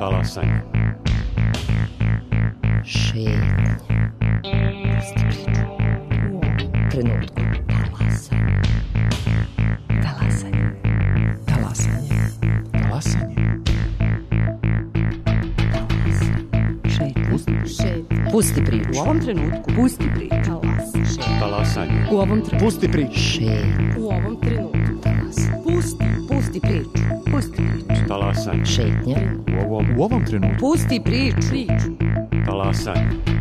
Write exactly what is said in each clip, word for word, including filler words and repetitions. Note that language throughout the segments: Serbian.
Talasanje. Šetnja. Pusti priču. U ovom trenutku. Talasanje. Talasanje. Talasanje. Šetnja. Šetnja. Pusti priču. U ovom trenutku. Pusti priču. Talasanje. Talasanje. U ovom trenutku. Pusti priču. Šetnja. U ovom trenutku. Talasanje. Pusti. Pusti priču. Pusti priču. Talasanje. Šetnja. U ovom, U ovom trenutku. Pusti priču. Priču. talasanje.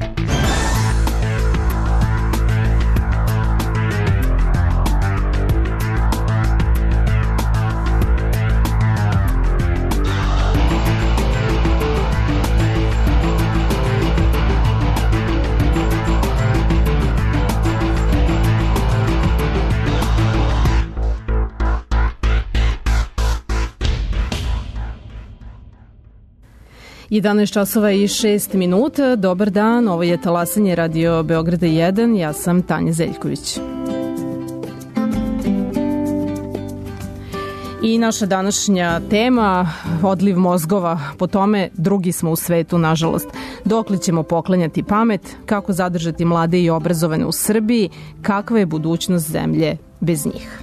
jedanaest časova i šest minuta. Dobar dan, ovo je Talasanje Radio Beograda jedan. Ja sam Tanja Zeljković. I naša današnja tema, odliv mozgova, po tome drugi smo u svetu, nažalost. Dokle ćemo poklanjati pamet, kako zadržati mlade i obrazovane u Srbiji, kakva je budućnost zemlje bez njih.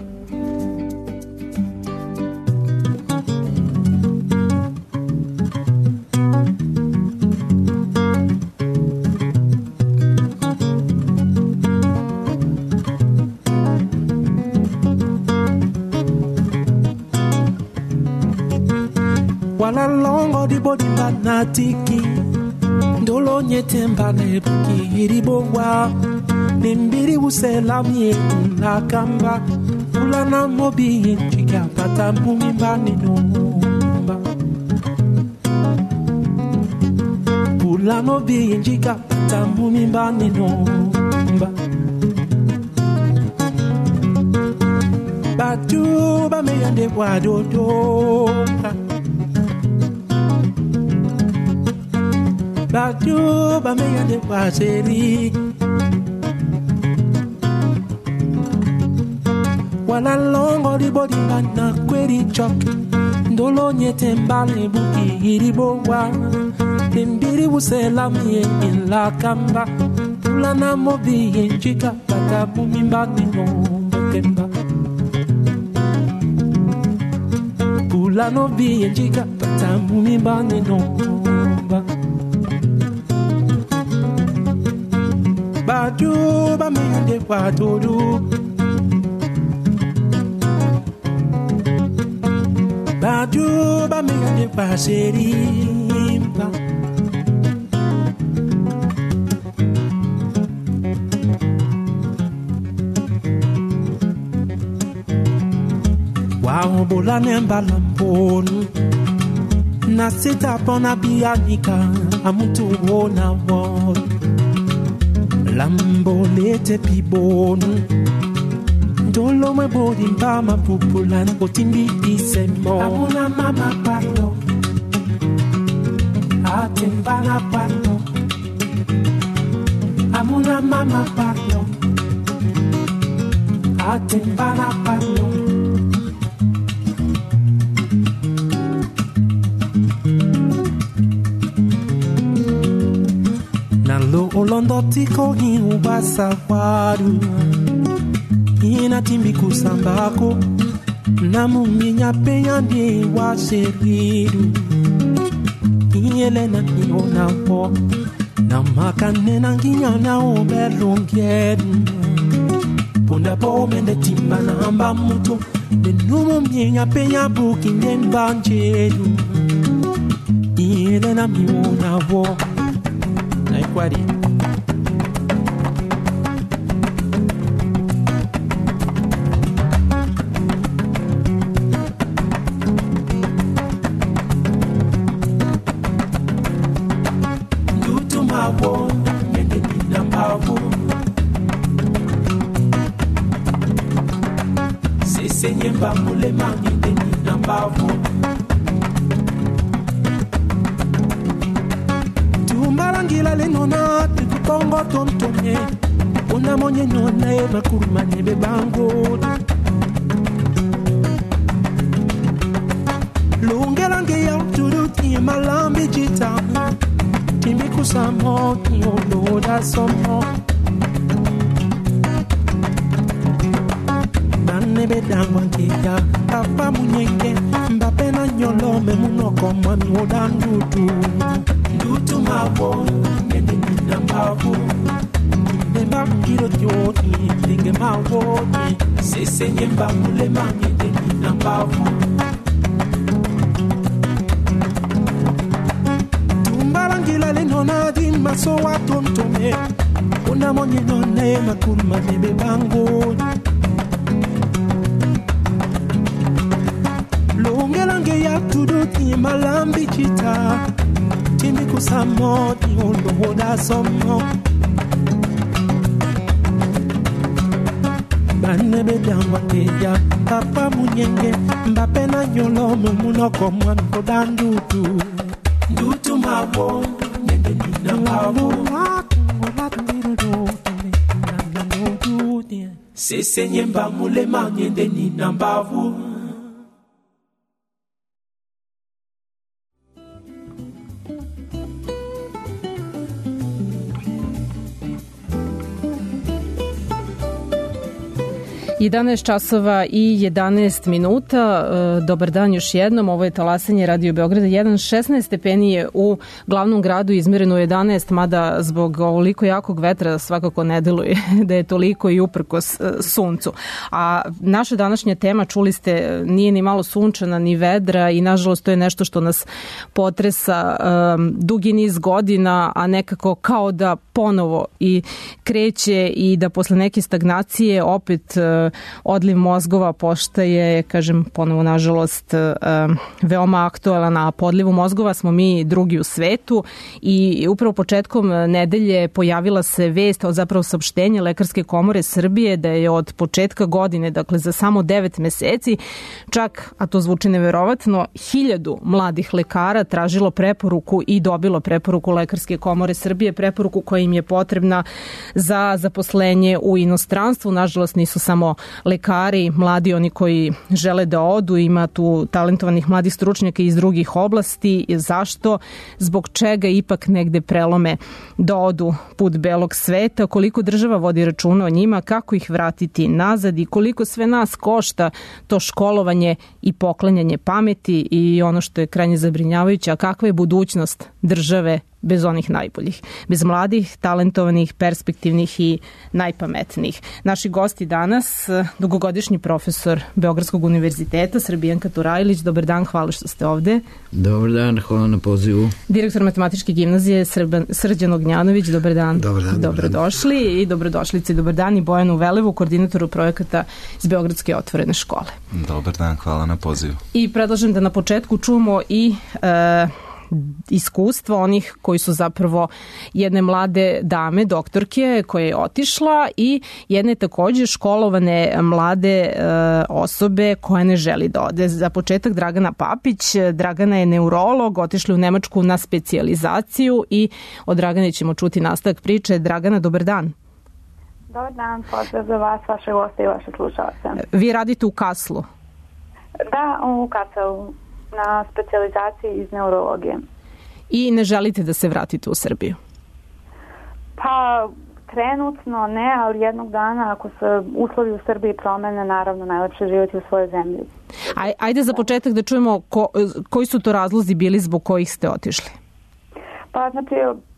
Wala longo di bodi manatiki ndolo nyete mbane buki hiribowa nimbiri uselami na kamba ulana mobi chika pata mbumi mbani nomba ulana mobi chika pata mbumi mbani nomba batu ba me yande wadodo Batu ba me yande waseri Wala longo di bodi na kweri chok Ndolo nyete mbale buki hiribowa Timbiri uselami in la kamba Pula na mobi chika pata bumi mbani no mbakemba Pula no bi chika pata bumi mbani no mbakemba Badu ba me yande wadodo Badu ba me yande waserimba Wa bola nemba lamponu Na sita pona bianika amutu wona wona Lambo lete pibonu Dolo me bodi mbama pupulan Otimbi isemo Amuna mama palo Atembana palo Amuna mama palo Atembana palo Nalo olondo tiko hi ubasa waru Ina timbi kusambako Namu minya penyandi wa seridu Inyelena niona po Namaka nena nginya na oberlongyedu Punda po mende timba na amba muto Nenumu minya penya buki nembanjedu Inyelena niona po Kwari Ndutu mawo mende nina mawo Sese nyemba mule mangi nina mawo Marangila le nona tukupongo tontonye Una monye nona e makuruma nebe bango Lunge lange ya turuti malambi Banebe dangwangeya Papa munyenge Mbapena nyolome munoko mwami wodandutu Ndutu mabo Nende nina mbavu Nemba kiro tioti Nenge mawoni Sese nyemba mulema Nende nina mbavu Tumbarangila lenona di maso watontome Una monye none makulma nebe bango Longelange ya tuduti malambi chita Timi kusamo ti ondo hoda somo Banebe dangwa teya Papa munyenge Mbape na nyolo mumunoko mwan kodandutu Ndutu mabo Nende nina mabo Sese nyemba mulema Nende nina mbavu jedanaest časova i jedanaest minuta. Dobar dan još jednom. Ovo je talasanje Radio Beograda jedan. šesnaest stepeni je u glavnom gradu, izmereno jedanaest, mada zbog ovoliko jakog vetra svakako ne deluje da je toliko i uprkos suncu. A naša današnja tema, čuli ste, nije ni malo sunčana ni vedra i nažalost to je nešto što nas potresa um, dugi niz godina, a nekako kao da ponovo i kreće i da posle neke stagnacije opet uh, odliv mozgova postaje, kažem ponovo nažalost, veoma aktualan, a po odlivu mozgova smo mi drugi u svetu i upravo početkom nedelje pojavila se vest, od zapravo saopštenje Lekarske komore Srbije da je od početka godine, dakle za samo devet meseci, čak, a to zvuči neverovatno, hiljadu mladih lekara tražilo preporuku i dobilo preporuku Lekarske komore Srbije, preporuku koja im je potrebna za zaposlenje u inostranstvu. Nažalost nisu samo lekari, mladi, oni koji žele da odu, ima tu talentovanih mladih stručnjaka iz drugih oblasti. Zašto? Zbog čega ipak negde prelome da odu put belog sveta? Koliko država vodi računa o njima? Kako ih vratiti nazad? I koliko sve nas košta to školovanje i poklanjanje pameti? I ono što je krajnje zabrinjavajuće, a kakva je budućnost države bez onih najboljih, bez mladih, talentovanih, perspektivnih i najpametnijih. Naši gosti danas, dugogodišnji profesor Beogradskog univerziteta, Srbijanka Turajlić. Dobar dan, hvala što ste ovde. Dobar dan, hvala na pozivu. Direktor Matematičke gimnazije Srban, Srđan Ognjanović, dobar dan. Dobar dan. Dobrodošli i dobrodošlice i dobar dan i Bojanu Velevu, koordinatoru projekata iz Beogradske otvorene škole. Dobar dan, hvala na pozivu. I predlažem da na početku čujemo i e, iskustva onih koji su zapravo jedne mlade dame, doktorke koja je otišla i jedne takođe školovane mlade e, osobe koja ne želi da ode. Za početak Dragana Papić. Dragana je neurolog, otišla u Nemačku na specijalizaciju i od Dragane ćemo čuti nastavak priče. Dragana, dobar dan. Dobar dan, pozdrav za vas, vaše goste i vaše slušalce. Vi radite u Kaslu? Da, u Kaslu, na specijalizaciji iz neurologije. I ne želite da se vratite u Srbiju? Pa, trenutno ne, ali jednog dana ako se uslovi u Srbiji promene, naravno najlepše živjeti u svojoj zemlji. Aj, ajde za početak da čujemo ko, koji su to razlozi bili zbog kojih ste otišli? Pa, znači,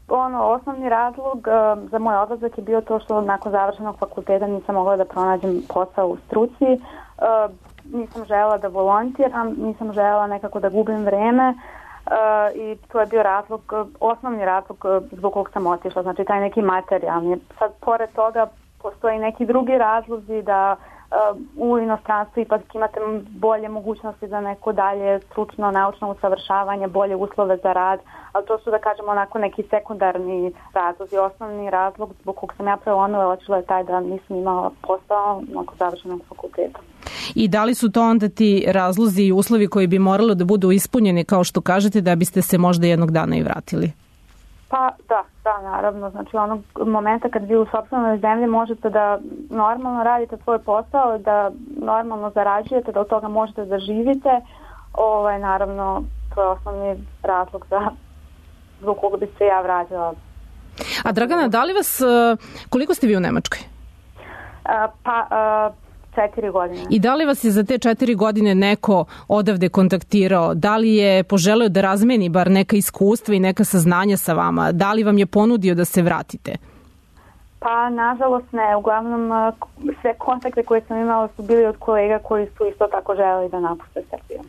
ono, osnovni razlog uh, za moj odlazak je bio to što nakon završenog fakulteta nisam mogla da pronađem posao u struci. Uh, nisam želela da volontiram, nisam želela nekako da gubim vreme uh, i to je bio razlog, osnovni razlog zbog kog sam otišla, znači taj neki materijalni. Sad, pored toga, postoji neki drugi razlozi da uh, u inostranstvu ipak imate bolje mogućnosti za neko dalje stručno, naučno usavršavanje, bolje uslove za rad, ali to su, da kažemo, onako neki sekundarni razlozi. Osnovni razlog zbog kog sam ja prelomila otišla je taj da nisam imala posao nakon završenog fakulteta. I da li su to onda ti razlozi i uslovi koji bi morali da budu ispunjeni, kao što kažete, da biste se možda jednog dana i vratili? Pa da, da, naravno. Znači onog momenta kad vi u sopstvenoj zemlji možete da normalno radite svoj posao, da normalno zarađujete, da od toga možete da živite, ovaj, naravno to je osnovni razlog za zbog koga bi se ja vratila. A Dragana, da li vas, koliko ste vi u Nemačkoj? A, pa a, četiri godine. I da li vas je za te četiri godine neko odavde kontaktirao? Da li je poželeo da razmeni bar neka iskustva i neka saznanja sa vama? Da li vam je ponudio da se vratite? Pa, nažalost ne. Uglavnom, sve kontakte koje sam imala su bili od kolega koji su isto tako želeli da napuste Srbiju.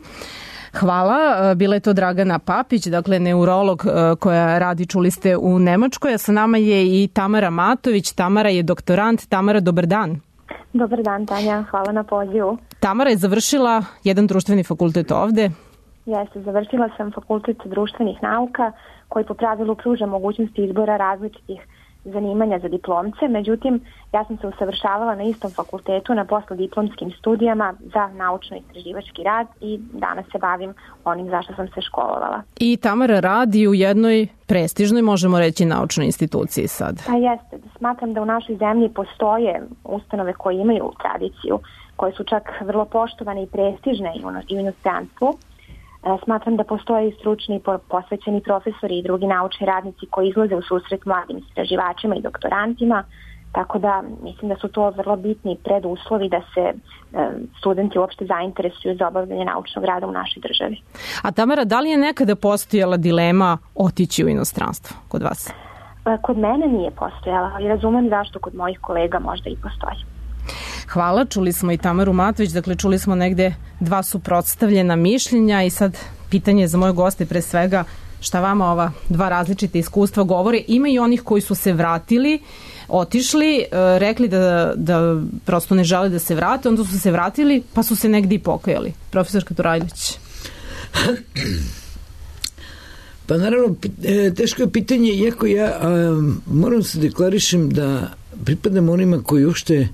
Hvala. Bila je to Dragana Papić, dakle neurolog koja radi, čuli ste, u Nemačkoj. A sa nama je i Tamara Matović. Tamara je doktorant. Tamara, dobar dan. Dobar dan, Tanja. Hvala na pozivu. Tamara je završila jedan društveni fakultet ovde. Jeste, završila sam fakultet društvenih nauka koji po pravilu pruža mogućnosti izbora različitih zanimanja za diplomce, međutim ja sam se usavršavala na istom fakultetu na poslediplomskim studijama za naučno-istraživački rad i danas se bavim onim za što sam se školovala. I Tamara radi u jednoj prestižnoj, možemo reći, naučnoj instituciji sad. Pa jeste, smatram da u našoj zemlji postoje ustanove koje imaju tradiciju, koje su čak vrlo poštovane i prestižne i u inostranstvu. Smatram da postoje i stručni posvećeni profesori i drugi naučni radnici koji izlaze u susret mladim istraživačima i doktorantima, tako da mislim da su to vrlo bitni preduslovi da se studenti uopšte zainteresuju za obavljanje naučnog rada u našoj državi. A Tamara, da li je nekada postojala dilema otići u inostranstvo kod vas? Kod mene nije postojala, ali razumem zašto kod mojih kolega možda i postoji. Hvala, čuli smo i Tamaru Matović, dakle čuli smo negde dva suprotstavljena mišljenja i sad pitanje za moje goste pre svega šta vama ova dva različite iskustva govore. Ima i onih koji su se vratili, otišli, rekli da, da prosto ne žele da se vrate, onda su se vratili pa su se negde i pokajali. Profesorka Turajlić. Pa naravno, teško je pitanje, iako ja a, moram se deklarišem da pripadam onima koji uopšte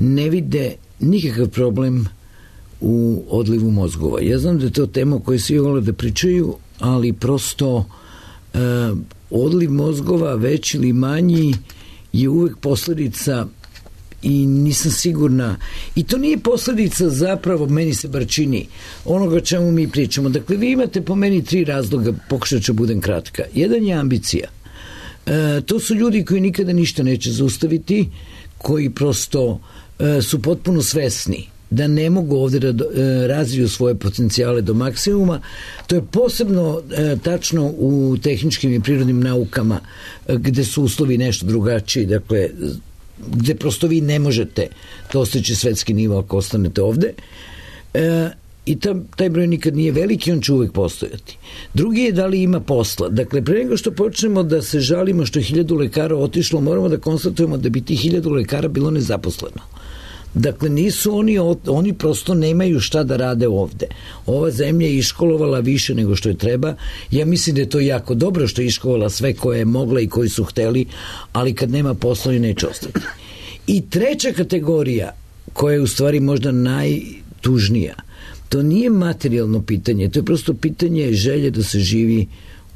ne vide nikakav problem u odlivu mozgova. Ja znam da je to tema o kojoj svi vole da pričaju, ali prosto e, odliv mozgova, veći ili manji, je uvek posledica i nisam sigurna. I to nije posledica zapravo, meni se bar čini, onoga čemu mi pričamo. Dakle, vi imate po meni tri razloga, pokušat ću budem kratka. Jedan je ambicija. E, to su ljudi koji nikada ništa neće zaustaviti, koji prosto e, su potpuno svesni da ne mogu ovdje da e, razviju svoje potencijale do maksimuma. To je posebno e, tačno u tehničkim i prirodnim naukama e, gde su uslovi nešto drugačiji, dakle gde prosto vi ne možete dostići svetski nivo ako ostanete ovde. E, i ta, taj broj nikad nije veliki, on će uvek postojati. Drugi je da li ima posla. Dakle, pre nego što počnemo da se žalimo što je hiljadu lekara otišlo, moramo da konstatujemo da bi ti hiljadu lekara bilo nezaposleno. Dakle, nisu oni, oni prosto nemaju šta da rade ovde. Ova zemlja je iškolovala više nego što je treba. Ja mislim da je to jako dobro što je iškolovala sve koje je mogla i koji su hteli, ali kad nema posla i neće ostati. I treća kategorija, koja je u stvari možda najtužnija, to nije materijalno pitanje, to je prosto pitanje želje da se živi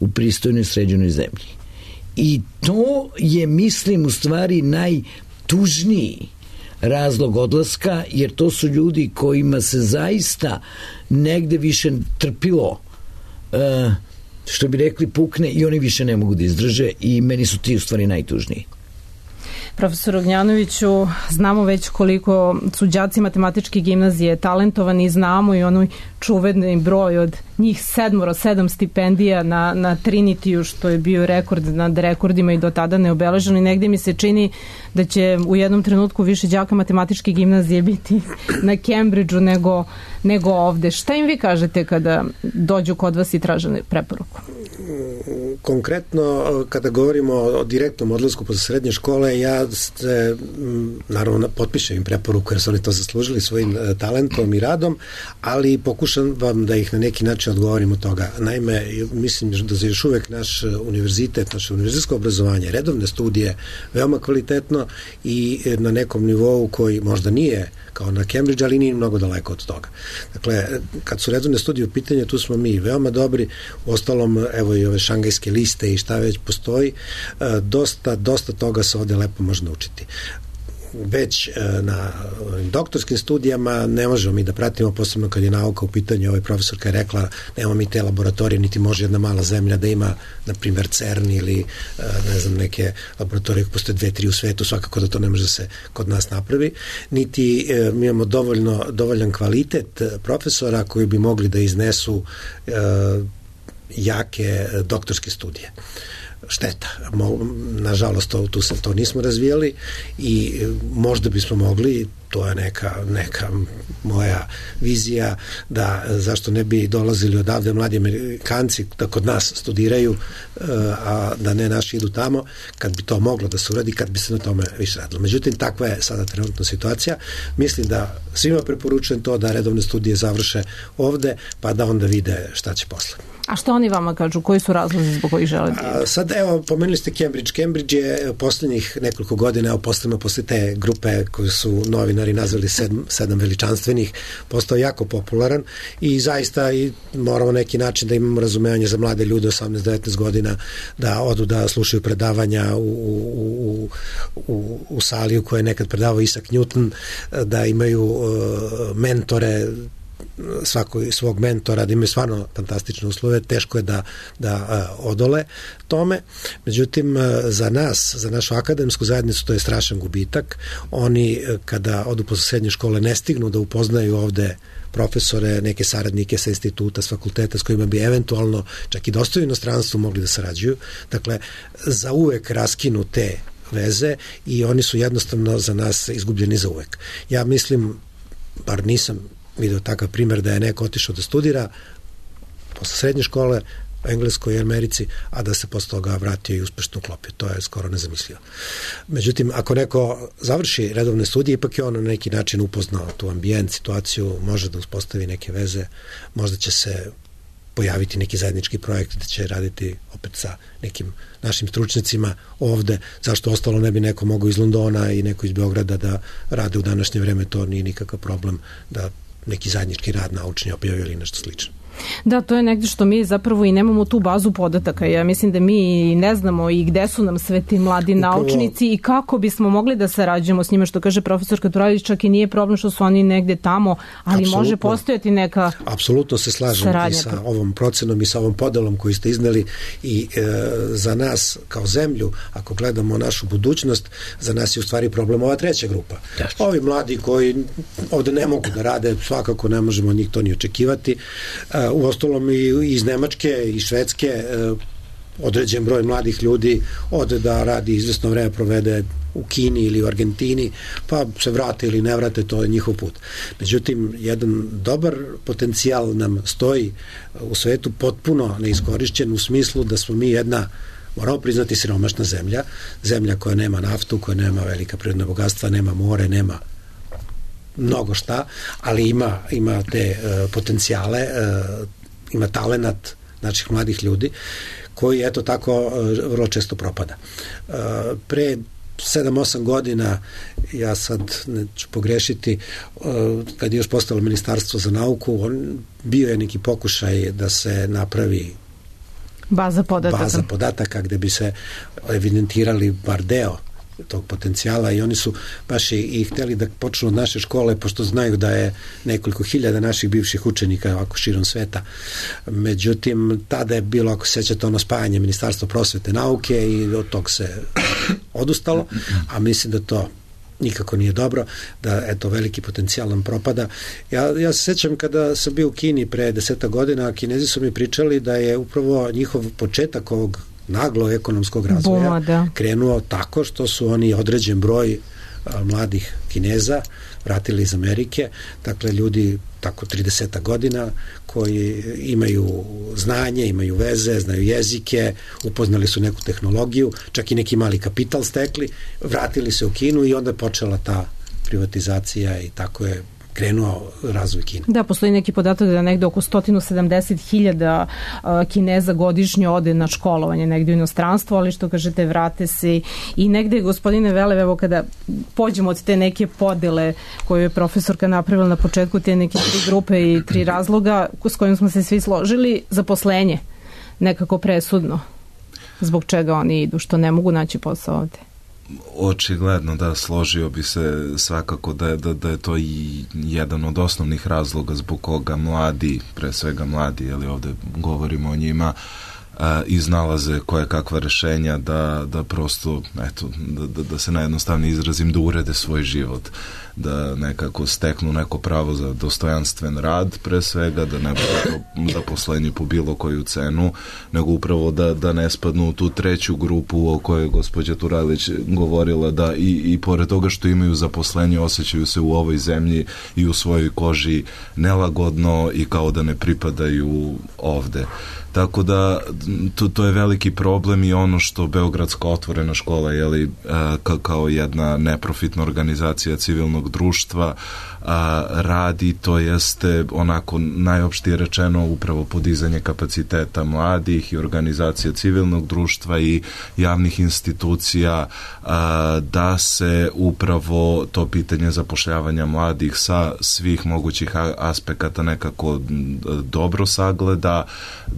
u pristojnoj sređenoj zemlji. I to je, mislim, u stvari najtužniji razlog odlaska, jer to su ljudi kojima se zaista negde više trpilo, što bi rekli, pukne i oni više ne mogu da izdrže i meni su ti u stvari najtužniji. Profesor Ognjanoviću, znamo već koliko su đaci matematičke gimnazije talentovani, znamo i onoj čuveni broj od njih sedmoro, sedam stipendija na, na Trinitiju, što je bio rekord nad rekordima i do tada neobeleženo, i negde mi se čini da će u jednom trenutku više đaka matematičke gimnazije biti na Cambridgeu nego, nego ovde. Šta im vi kažete kada dođu kod vas i traže preporuku? Konkretno, kada govorimo o direktnom odlasku posle srednje škole, ja se, naravno, potpišem im preporuku jer su oni to zaslužili svojim talentom i radom, ali pokušam vam da ih na neki način odgovorim od toga. Naime, mislim da se još uvek naš univerzitet, naše univerzitetsko obrazovanje, redovne studije, veoma kvalitetno i na nekom nivou koji možda nije kao na Cambridge, ali nije mnogo daleko od toga. Dakle, kad su redovne studije u pitanju, tu smo mi veoma dobri, u ostalom, evo i ove šangajske liste i šta već postoji, dosta, dosta toga se ovde lepo može naučiti. već na doktorskim studijama ne možemo mi da pratimo, posebno kad je nauka u pitanju. Ovaj profesorka je rekla, nemamo mi te laboratorije, niti može jedna mala zemlja da ima, na primjer, CERN ili ne znam, neke laboratorije koje postoje dve, tri u svetu, svakako da to ne može se kod nas napravi, niti mi imamo dovoljno, dovoljan kvalitet profesora koji bi mogli da iznesu e, jake doktorske studije. Šteta. Nažalost, to, tu se to nismo razvijali i možda bismo mogli, to je neka, neka moja vizija, da zašto ne bi dolazili odavde mladi Amerikanci da kod nas studiraju, a da ne naši idu tamo, kad bi to moglo da se uradi, kad bi se na tome više radilo. Međutim, takva je sada trenutna situacija. Mislim da svima preporučujem to da redovne studije završe ovde, pa da onda vide šta će posle. A što oni vama kažu? Koji su razlozi zbog kojih žele da idu? Sad, evo, pomenuli ste Cambridge. Cambridge je poslednjih nekoliko godina, evo, posledno posle te grupe koju su novinari nazvali sedm, sedam veličanstvenih, postao jako popularan i zaista i moramo neki način da imamo razumevanje za mlade ljude osamnaest devetnaest godina, da odu da slušaju predavanja u, u, u, u sali u kojoj je nekad predavao Isaac Newton, da imaju uh, mentore, svako svog mentora, da imaju stvarno fantastične uslove, teško je da, da uh, odole tome. Međutim, uh, za nas, za našu akademsku zajednicu, to je strašan gubitak. Oni, uh, kada odu posle srednje škole, ne stignu da upoznaju ovde profesore, neke saradnike sa instituta, s fakulteta, s kojima bi eventualno čak i dosta u inostranstvu mogli da sarađuju. Dakle, za uvek raskinu te veze i oni su jednostavno za nas izgubljeni za uvek. Ja mislim, bar nisam vidio takav primjer da je neko otišao da studira posle srednje škole u Engleskoj i Americi, a da se posle toga vratio i uspešno uklopio. To je skoro nezamislivo. Međutim, ako neko završi redovne studije, ipak je on na neki način upoznao tu ambijent, situaciju, može da uspostavi neke veze, možda će se pojaviti neki zajednički projekt da će raditi opet sa nekim našim stručnjacima ovde, zašto ostalo ne bi neko mogao iz Londona i neko iz Beograda da rade u današnje vreme, to nije nikakav problem da neki zajednički rad naučni objavi ili nešto slično. Da, to je negde što mi zapravo i nemamo tu bazu podataka. Ja mislim da mi ne znamo i gde su nam sve ti mladi Upravo... naučnici i kako bismo mogli da sarađujemo s njima, što kaže profesor Katuralić, čak i nije problem što su oni negde tamo, ali Apsolutno. Može postojati neka Apsolutno se slažem saradnja. I sa ovom procenom i sa ovom podelom koju ste izneli i e, za nas kao zemlju, ako gledamo našu budućnost, za nas je u stvari problem ova treća grupa. Dačno. Ovi mladi koji ovde ne mogu da rade, svakako ne možemo od njih to ni očekivati. E, u ostalom i iz Nemačke i Švedske određen broj mladih ljudi ode da radi izvesno vreme provede u Kini ili u Argentini, pa se vrate ili ne vrate, to je njihov put. Međutim, jedan dobar potencijal nam stoji u svetu potpuno neiskorišćen u smislu da smo mi jedna, moramo priznati, siromašna zemlja, zemlja koja nema naftu, koja nema velika prirodna bogatstva, nema more, nema mnogo šta, ali ima, ima te uh, potencijale, uh, ima talenat naših mladih ljudi koji eto tako uh, vrlo često propada. Uh, pre sedam osam godina, ja sad neću pogrešiti, uh, kad je još postalo Ministarstvo za nauku, on, bio je neki pokušaj da se napravi baza podataka, baza podataka gde bi se evidentirali bar deo tog potencijala i oni su baš i, i hteli da počnu od naše škole, pošto znaju da je nekoliko hiljada naših bivših učenika ovako širom sveta. Međutim, tada je bilo, ako se sećate, ono spajanje Ministarstva prosvete nauke i od tog se odustalo, a mislim da to nikako nije dobro, da eto veliki potencijal nam propada. Ja, ja se sećam kada sam bio u Kini pre deseta godina, Kinezi su mi pričali da je upravo njihov početak ovog naglo ekonomskog razvoja Buma, da. krenuo tako što su oni određen broj a, mladih Kineza vratili iz Amerike, dakle ljudi tako trideset godina koji imaju znanje, imaju veze, znaju jezike, upoznali su neku tehnologiju, čak i neki mali kapital stekli, vratili se u Kinu i onda je počela ta privatizacija i tako je krenuo razvoj Kine. Da, postoji neki podatak da negde oko sto sedamdeset hiljada Kineza godišnje ode na školovanje negde u inostranstvo, ali što kažete, vrate se i negde, gospodine Velev, evo kada pođemo od te neke podele koju je profesorka napravila na početku, te neke tri grupe i tri razloga s kojim smo se svi složili, zaposlenje nekako presudno. Zbog čega oni idu, što ne mogu naći posao ovde? očigledno da, složio bi se svakako da je, da, da je to i jedan od osnovnih razloga zbog koga mladi, pre svega mladi, jer ovde govorimo o njima, a, iznalaze koje kakva rešenja da, da prosto, eto, da, da, da se najjednostavnije izrazim, da urede svoj život, da nekako steknu neko pravo za dostojanstven rad, pre svega, da ne bude zaposlenje po bilo koju cenu, nego upravo da, da ne spadnu u tu treću grupu o kojoj je gospođa Turajlić govorila, da i, i pored toga što imaju zaposlenje, osjećaju se u ovoj zemlji i u svojoj koži nelagodno i kao da ne pripadaju ovde. Tako da to, to je veliki problem i ono što Beogradska otvorena škola, jeli, ka, kao jedna neprofitna organizacija civilnog društva a, radi, to jeste onako najopštije rečeno upravo podizanje kapaciteta mladih i organizacija civilnog društva i javnih institucija, a, da se upravo to pitanje zapošljavanja mladih sa svih mogućih aspekata nekako dobro sagleda,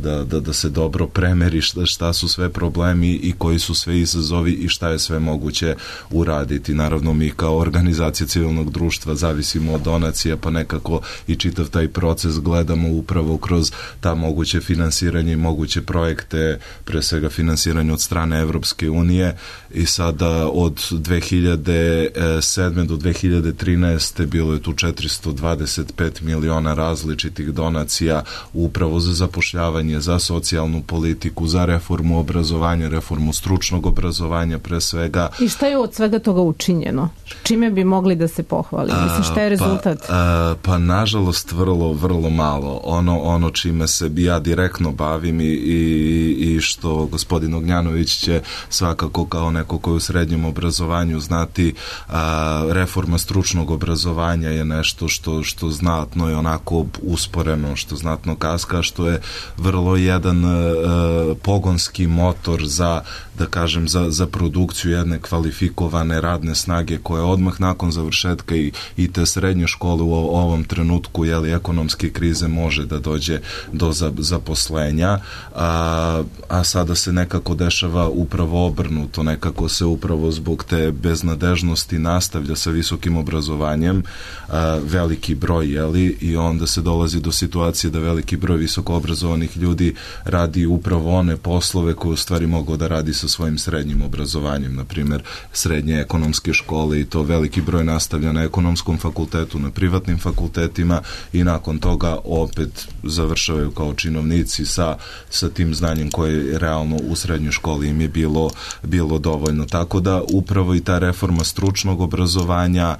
da Da, da se dobro premeri šta, šta su sve problemi i koji su sve izazovi i šta je sve moguće uraditi. Naravno, mi kao organizacija civilnog društva zavisimo od donacija, pa nekako i čitav taj proces gledamo upravo kroz ta moguće finansiranje i moguće projekte, pre svega finansiranje od strane Evropske unije, i sada od dve hiljade sedme do dve hiljade trinaeste bilo je tu četiristo dvadeset pet miliona različitih donacija upravo za zapošljavanje, za socijalnu politiku, za reformu obrazovanja, reformu stručnog obrazovanja pre svega. I šta je od svega toga učinjeno? Čime bi mogli da se pohvali? Mislim, šta je rezultat? Pa, a, pa nažalost vrlo, vrlo malo. Ono, ono čime se ja direktno bavim i, i, i što gospodin Ognjanović će svakako kao neko koji u srednjem obrazovanju znati, a, reforma stručnog obrazovanja je nešto što, što znatno je onako usporeno, što znatno kaska, što je vrlo jedan uh, pogonski motor za, da kažem, za, za produkciju jedne kvalifikovane radne snage koja odmah nakon završetka i, i te srednje škole u ovom trenutku, jeli, ekonomske krize može da dođe do zaposlenja, a, a sada se nekako dešava upravo obrnuto, nekako se upravo zbog te beznadežnosti nastavlja sa visokim obrazovanjem, a, veliki broj, jeli, i onda se dolazi do situacije da veliki broj visoko obrazovanih ljudi radi upravo one poslove koje u stvari mogu da radi sa svojim srednjim obrazovanjem, na primjer srednje ekonomske škole, i to veliki broj nastavlja na ekonomskom fakultetu, na privatnim fakultetima, i nakon toga opet završavaju kao činovnici sa, sa tim znanjem koje realno u srednjoj školi im je bilo, bilo dovoljno. Tako da upravo i ta reforma stručnog obrazovanja, a,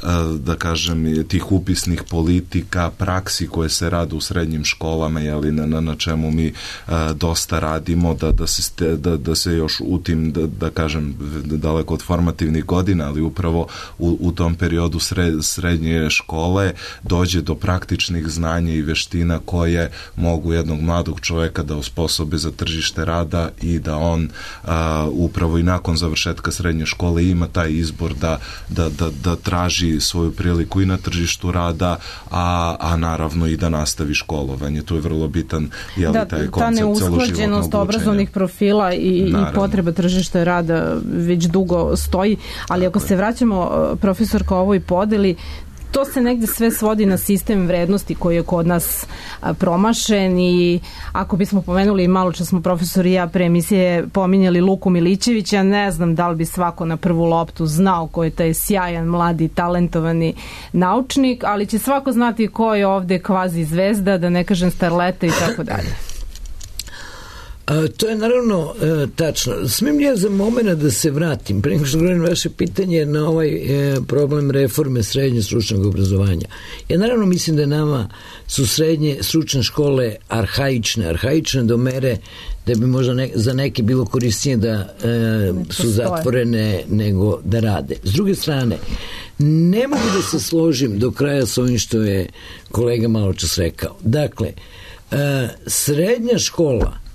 a, da kažem, tih upisnih politika, praksi koje se rade u srednjim školama, jeli, na, na, na čemu mi a, dosta radimo, da, da, se, da, da se još u tim, da, da kažem, daleko od formativnih godina, ali upravo u, u tom periodu sred, srednje škole dođe do praktičnih znanja i veština koje mogu jednog mladog čoveka da osposobe za tržište rada i da on a, upravo i nakon završetka srednje škole ima taj izbor da, da, da, da traži svoju priliku i na tržištu rada, a, a naravno i da nastavi školovanje. To je vrlo bitan, jeli, da, taj koncept celoživotnog učenja. Ta neusklađenost obrazovnih profila i, i potreba tržišta rada već dugo stoji, ali tako, ako se vraćamo, profesorka, ovoj podeli, to se negde sve svodi na sistem vrednosti koji je kod nas a, promašen, i ako bismo pomenuli, malo čas smo profesor i ja pre emisije pominjali Luku Milićevića, ne znam da li bi svako na prvu loptu znao ko je taj sjajan, mladi, talentovani naučnik, ali će svako znati ko je ovde kvazi zvezda, da ne kažem starleta i tako dalje. A, to je naravno e, tačno. Smijem ja za moment da se vratim, pre nego što govorim vaše pitanje, na ovaj e, problem reforme srednje stručnog obrazovanja. Ja naravno mislim da nama su srednje stručne škole arhaične, arhaične do mere da bi možda ne, za neke bilo korisnije da e, su zatvorene nego da rade. S druge strane, ne mogu da se složim do kraja s ovim što je kolega malo čas rekao. Dakle, e, srednja škola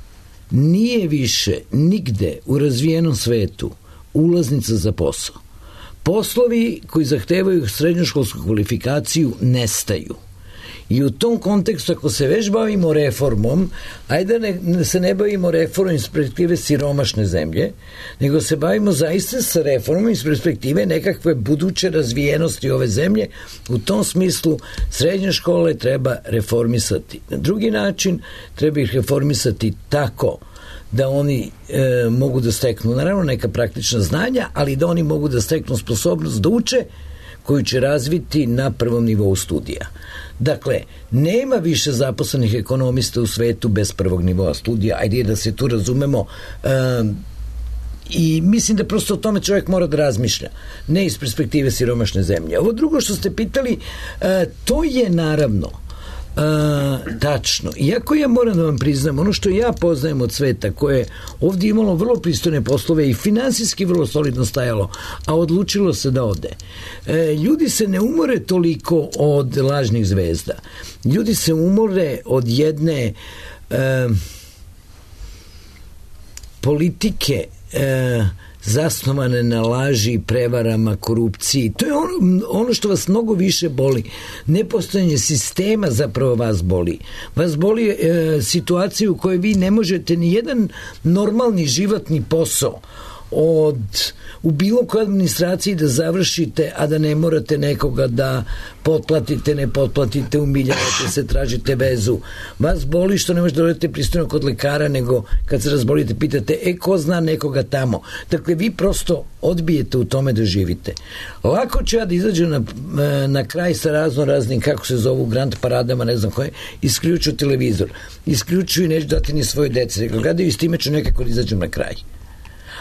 nije više nigde u razvijenom svetu ulaznica za posao. Poslovi koji zahtevaju srednjoškolsku kvalifikaciju nestaju. I u tom kontekstu, ako se već bavimo reformom, ajde da ne, se ne bavimo reformom iz perspektive siromašne zemlje, nego se bavimo zaista sa reformom iz perspektive nekakve buduće razvijenosti ove zemlje. U tom smislu srednje škole treba reformisati. Na drugi način treba ih reformisati tako da oni e, mogu da steknu naravno neka praktična znanja, ali da oni mogu da steknu sposobnost da uče, koju će razviti na prvom nivou studija. Dakle, nema više zaposlenih ekonomista u svetu bez prvog nivoa studija, ajde da se tu razumemo, e, i mislim da prosto o tome čovjek mora da razmišlja, ne iz perspektive siromašne zemlje. Ovo drugo što ste pitali, e, to je naravno Uh, tačno. Iako ja moram da vam priznam, ono što ja poznajem od sveta, koje je ovdje imalo vrlo pristojne poslove i finansijski vrlo solidno stajalo, a odlučilo se da ode. E, ljudi se ne umore toliko od lažnih zvezda. Ljudi se umore od jedne e, politike e, zasnovane na laži, prevarama, korupciji. To je ono, ono što vas mnogo više boli. Nepostojanje sistema zapravo vas boli. Vas boli e, situacija u kojoj vi ne možete ni jedan normalni životni posao od u bilo kojoj administraciji da završite, a da ne morate nekoga da potplatite, ne potplatite, umiljavate se, tražite vezu. Vas boli što ne možete da odete pristojno kod lekara, nego kad se razbolite pitate, e, ko zna nekoga tamo. Dakle, vi prosto odbijete u tome da živite. Lako ću ja da izađem na, na kraj sa razno raznim, kako se zovu, grand paradama, ne znam koje, isključu televizor. Isključuju i neću dati ni svoje dece. Dakle, gledaju i s time ću nekako da izađem na kraj.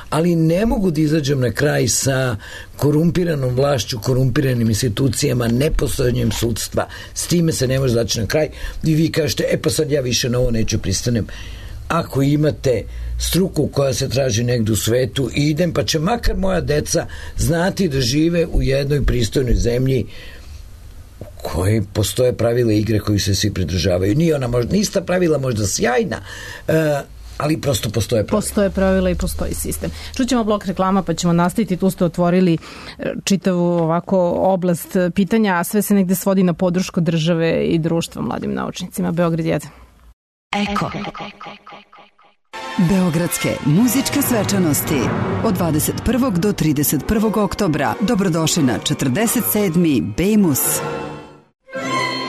Ali ne mogu da izađem na kraj sa korumpiranom vlašću, korumpiranim institucijama, nepostojanjem sudstva. S time se ne može zaći na kraj. I vi kažete, e pa sad ja više na ovo neću pristanem. Ako imate struku koja se traži negdje u svetu, idem, pa će makar moja deca znati da žive u jednoj pristojnoj zemlji u kojoj postoje pravila igre koji se svi pridržavaju. Nije ona možda, nista pravila možda sjajna, uh, ali prosto postoje pravila. Postoje pravila i postoji sistem. Čućemo blok reklama pa ćemo nastaviti. Tu ste otvorili čitavu ovako oblast pitanja, a sve se negde svodi na podršku države i društva mladim naučnicima. Beograd jedan. Eko. Beogradske muzičke svečanosti od dvadeset prvog do trideset prvog oktobra. Dobrodošli na četrdeset sedmi Bejmus.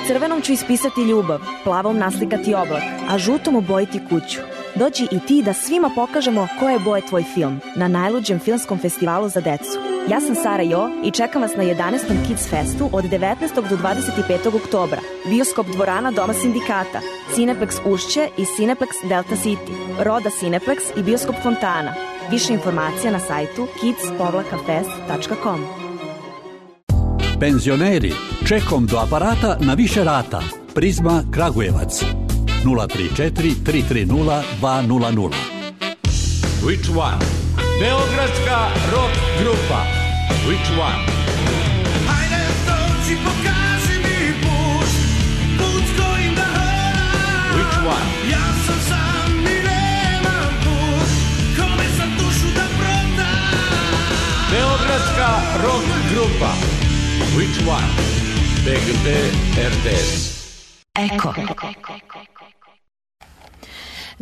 Crvenom ću ispisati ljubav, plavom naslikati oblak, a žutom obojiti kuću. Dođi i ti da svima pokažemo koje boje tvoj film na najluđem filmskom festivalu za decu. Ja sam Sara Jo i čekam vas na jedanaestom Kids Festu od devetnaestog do dvadeset petog oktobra. Bioskop dvorana Doma sindikata, Cineplex Ušće i Cineplex Delta City, Roda Cineplex i Bioskop Fontana. Više informacija na sajtu kids fest tačka com. Penzioneri, čekom do aparata na više rata. Prizma Kragujevac. nula tri četiri tri tri nula dva nula nula. Which one? Beogradska rock grupa. Which one? Hajde dođi, pokaži mi put, put kojim da hodam. Which one? Ja sam sam i nemam put, kome sam dušu da prodam. Beogradska rock grupa. Which one? B G T R T S. Eko.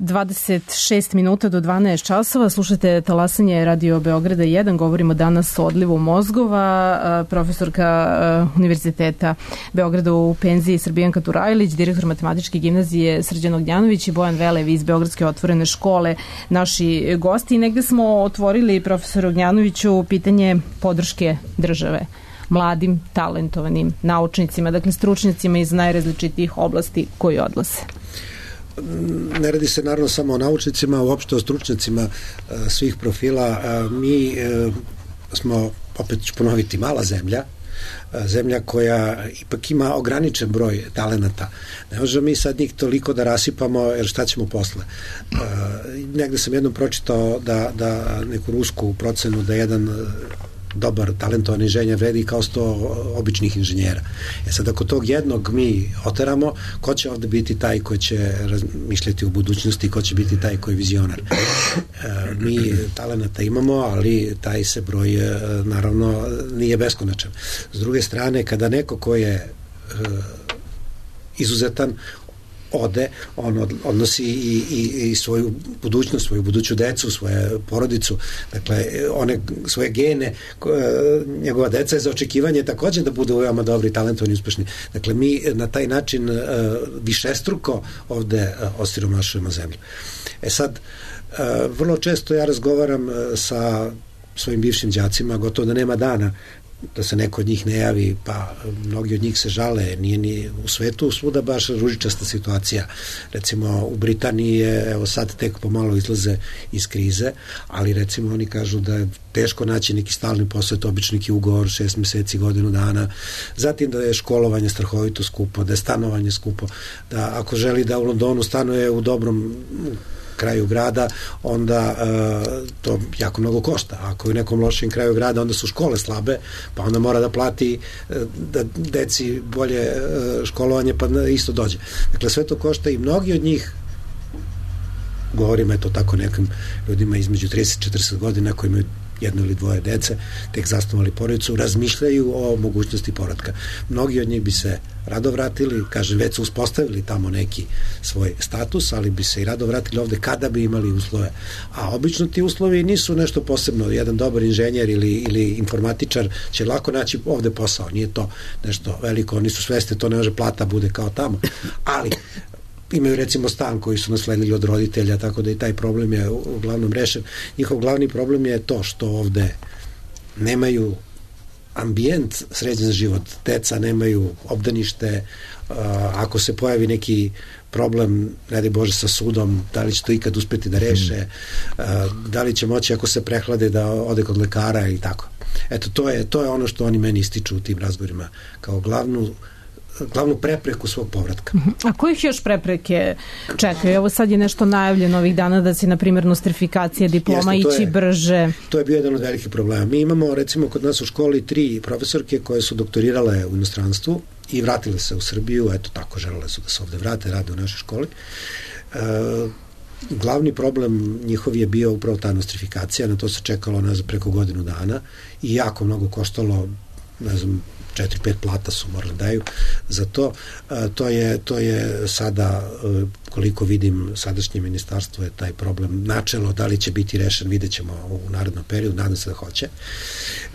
dvadeset šest minuta do dvanaest časova. Slušate talasanje Radio Beograda jedan. Govorimo danas o odlivu mozgova. Profesorka Univerziteta Beograda u penziji Srbijanka Turajlić, direktor matematičke gimnazije Srđan Ognjanović i Bojan Velev iz Beogradske otvorene škole, naši gosti. I negde smo otvorili, profesor Ognjanoviću, pitanje podrške države mladim, talentovanim naučnicima, dakle stručnicima iz najrazličitijih oblasti koji odlaze. Ne radi se naravno samo o naučnicima, uopšte o stručnicima svih profila. Mi smo, opet ću ponoviti, mala zemlja, zemlja koja ipak ima ograničen broj talenata. Ne možemo mi sad njih toliko da rasipamo, jer šta ćemo posle? Negde sam jednom pročitao da, da neku rusku procenu da jedan dobar, talentovan inženjer vredi kao sto običnih inženjera. E sad, ako tog jednog mi oteramo, ko će ovde biti taj koji će razmišljati o budućnosti, ko će biti taj koji je vizionar? E, mi talenata imamo, ali taj se broj, naravno, nije beskonačan. S druge strane, kada neko ko je e, izuzetan, ode, on od, odnosi i, i, i svoju budućnost, svoju buduću decu, svoju porodicu, dakle, one svoje gene, njegova deca je za očekivanje takođe da budu veoma dobri, talentovani, uspešni. Dakle, mi na taj način višestruko ovde osiromašujemo zemlju. E sad, vrlo često ja razgovaram sa svojim bivšim đacima, gotovo da nema dana da se neko od njih ne javi, pa mnogi od njih se žale, nije ni u svetu svuda baš ružičasta situacija. Recimo u Britaniji je, evo sad tek pomalo izlaze iz krize, ali recimo oni kažu da je teško naći neki stalni posao, obični neki ugovor, šest meseci, godinu dana, zatim da je školovanje strahovito skupo, da je stanovanje skupo, da ako želi da u Londonu stanuje u dobrom kraju grada, onda uh, to jako mnogo košta. Ako je u nekom lošem kraju grada, onda su škole slabe, pa onda mora da plati uh, da deci bolje uh, školovanje, pa isto dođe. Dakle, sve to košta i mnogi od njih, govorim eto tako nekim ljudima između trideset i četrdeset godina koji imaju jedno ili dvoje dece, tek zasnovali porodicu, razmišljaju o mogućnosti povratka. Mnogi od njih bi se rado vratili, kažem, već su uspostavili tamo neki svoj status, ali bi se i rado vratili ovde kada bi imali uslove. A obično ti uslovi nisu nešto posebno. Jedan dobar inženjer ili, ili informatičar će lako naći ovde posao. Nije to nešto veliko, oni su svesni, to ne može plata bude kao tamo. Ali imaju recimo stan koji su nasledili od roditelja, tako da i taj problem je uglavnom rešen. Njihov glavni problem je to što ovde nemaju ambijent sređen za život. Deca nemaju obdanište, ako se pojavi neki problem, ne daj Bože, sa sudom, da li će to ikad uspeti da reše, da li će moći ako se prehlade da ode kod lekara i tako. Eto, to je, to je ono što oni meni ističu u tim razgovorima kao glavnu glavnu prepreku svog povratka. A kojih još prepreke čekaju? Evo sad je nešto najavljeno ovih dana da će, na primjer, nostrifikacija diploma Jeste, ići je, brže. To je bio jedan od velikih problema. Mi imamo, recimo, kod nas u školi tri profesorke koje su doktorirale u inostranstvu i vratile se u Srbiju, eto tako, želele su da se ovde vrate, rade u našoj školi. E, glavni problem njihov je bio upravo ta nostrifikacija, na to se čekalo na preko godinu dana i jako mnogo koštalo, ne znam, četiri, pet plata su morali daju za to. To je, to je sada, koliko vidim, sadašnje ministarstvo je taj problem načelo, da li će biti rešen, vidjet ćemo u narednom periodu, nadam se da hoće.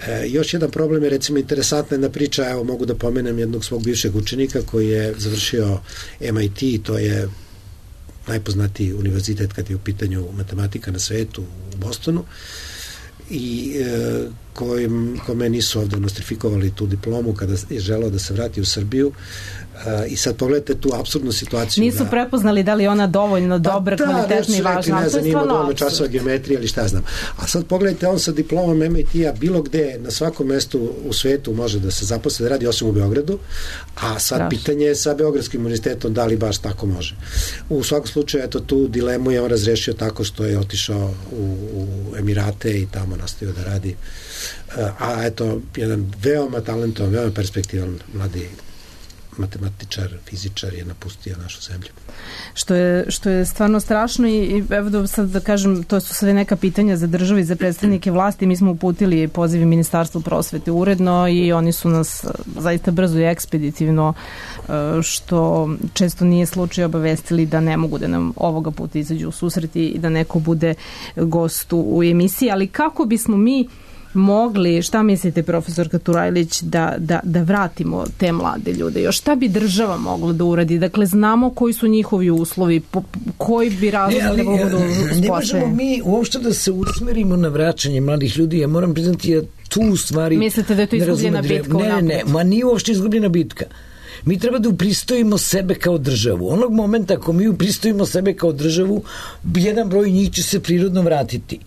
E, još jedan problem je, recimo, interesantna jedna priča, evo mogu da pomenem jednog svog bivšeg učenika koji je završio M I T, to je najpoznatiji univerzitet kad je u pitanju matematika na svetu u Bostonu, i e, kojim, kome nisu ovde nostrifikovali tu diplomu kada je želeo da se vrati u Srbiju. E, i sad pogledajte tu apsurdnu situaciju. Nisu da, prepoznali da li ona dovoljno dobra, pa, kvalitetna i važna. Ne znam, ima dovoljno časova geometrije ili šta znam. A sad pogledajte, on sa diplomom M I T-a bilo gde na svakom mestu u svetu može da se zaposle, da radi, osim u Beogradu, a sad Straš. pitanje je sa Beogradskim univerzitetom da li baš tako može. U svakom slučaju, eto, tu dilemu je on razrešio tako što je otišao u, u Emirate i tamo nastavio da radi. A eto, jedan veoma talentovan, veoma perspektivan mladi matematičar, fizičar je napustio našu zemlju. Što je, što je stvarno strašno i, i evo da sad da kažem, to su sve neka pitanja za državu i za predstavnike vlasti. Mi smo uputili pozivi Ministarstvu prosvete uredno i oni su nas zaista brzo i ekspeditivno, što često nije slučaj, obavestili da ne mogu da nam ovoga puta izađu u susreti i da neko bude gost u emisiji. Ali kako bismo mi mogli, šta mislite, profesorka Turajlić, da, da, da vratimo te mlade ljude? Još šta bi država mogla da uradi? Dakle, znamo koji su njihovi uslovi, po, koji bi razlog da budu uspostavljeni? Ne možemo mi uopšte da se usmerimo na vraćanje mladih ljudi. Ja moram priznati, ja tu u stvari... Mislite da je to izgubljena bitka? Ne, ne, ne, ma nije uopšte izgubljena bitka. Mi treba da upristojimo sebe kao državu. Onog momenta ako mi upristojimo sebe kao državu, jedan broj njih će se prirodno vratiti.